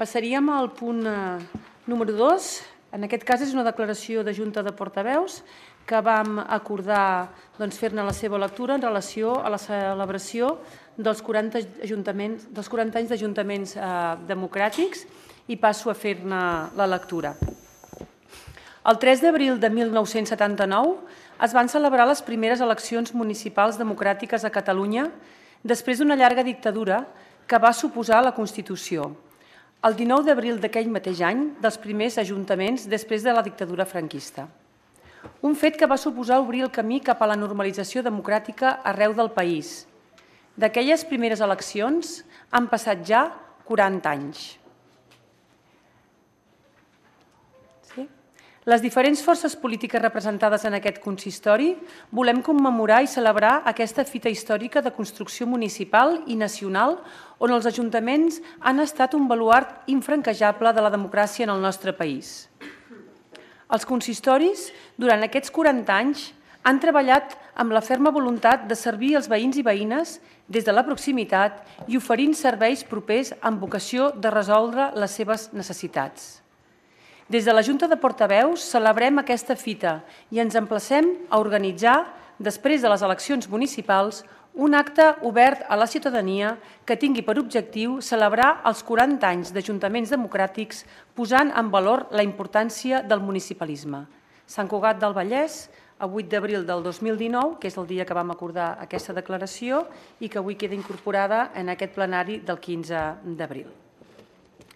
Passaríem al punt número 2. En aquest cas és una declaració de Junta de Portaveus que vam acordar fer-ne la seva lectura en relació a la celebració dels 40 anys d'ajuntaments democràtics i passo a fer-ne la lectura. El 3 d'abril de 1979 es van celebrar les primeres eleccions municipals democràtiques a Catalunya després d'una llarga dictadura que va suposar la Constitució. El 19 d'abril d'aquell mateix any, dels primers ajuntaments després de la dictadura franquista. Un fet que va suposar obrir el camí cap a la normalització democràtica arreu del país. D'aquelles primeres eleccions han passat ja 40 anys. Les diferents forces polítiques representades en aquest consistori volem commemorar i celebrar aquesta fita històrica de construcció municipal i nacional on els ajuntaments han estat un baluard infranquejable de la democràcia en el nostre país. Els consistoris, durant aquests 40 anys, han treballat amb la ferma voluntat de servir els veïns i veïnes des de la proximitat i oferint serveis propers amb vocació de resoldre les seves necessitats. Des de la Junta de Portaveus celebrem aquesta fita i ens emplacem a organitzar, després de les eleccions municipals, un acte obert a la ciutadania que tingui per objectiu celebrar els 40 anys d'ajuntaments democràtics posant en valor la importància del municipalisme. Sant Cugat del Vallès, a 8 d'abril del 2019, que és el dia que vam acordar aquesta declaració i que avui queda incorporada en aquest plenari del 15 d'abril.